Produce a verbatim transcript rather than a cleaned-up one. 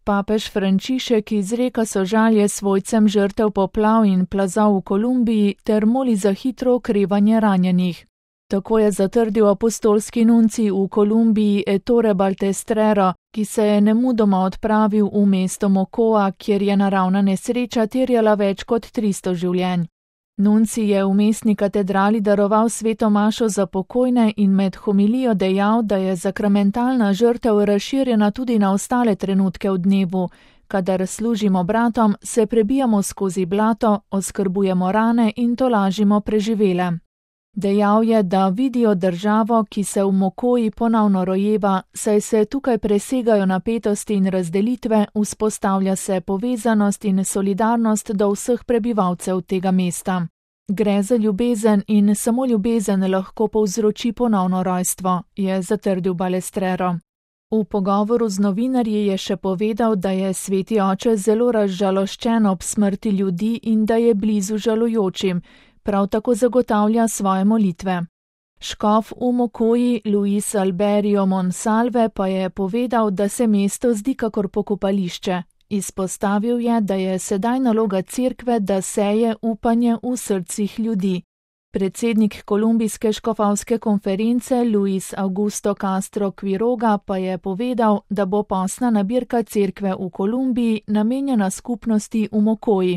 Papež Frančišek izreka sožalje svojcem žrtev poplav in plazov v Kolumbiji ter moli za hitro okrevanje ranjenih. Tako je zatrdil apostolski nuncij v Kolumbiji Ettore Baltestrero, ki se je nemudoma odpravil v mesto Mocoa, kjer je naravna nesreča terjala več kot tristo življenj. Nuncij je v mestni katedrali daroval sveto mašo za pokojne in med homilijo dejal, da je sakramentalna žrtev razširjena tudi na ostale trenutke v dnevu, kadar služimo bratom, se prebijamo skozi blato, oskrbujemo rane in tolažimo preživele. Dejal je, da vidijo državo, ki se v Mocoji ponovno rojeva, saj se tukaj presegajo napetosti in razdelitve, vzpostavlja se povezanost in solidarnost do vseh prebivalcev tega mesta. Gre za ljubezen in samo ljubezen lahko povzroči ponovno rojstvo, je zatrdil Balestrero. V pogovoru z novinarji je še povedal, da je sveti oče zelo razžaloščen ob smrti ljudi in da je blizu žalujočim, prav tako zagotavlja svoje molitve. Škof v Mocoji Luis Alberio Monsalve pa je povedal, da se mesto zdi kakor pokopališče. Izpostavil je, da je sedaj naloga cerkve, da seje upanje v srcih ljudi. Predsednik kolumbijske škofovske konference Luis Augusto Castro Quiroga pa je povedal, da bo postna nabirka cerkve v Kolumbiji namenjena skupnosti v Mocoji.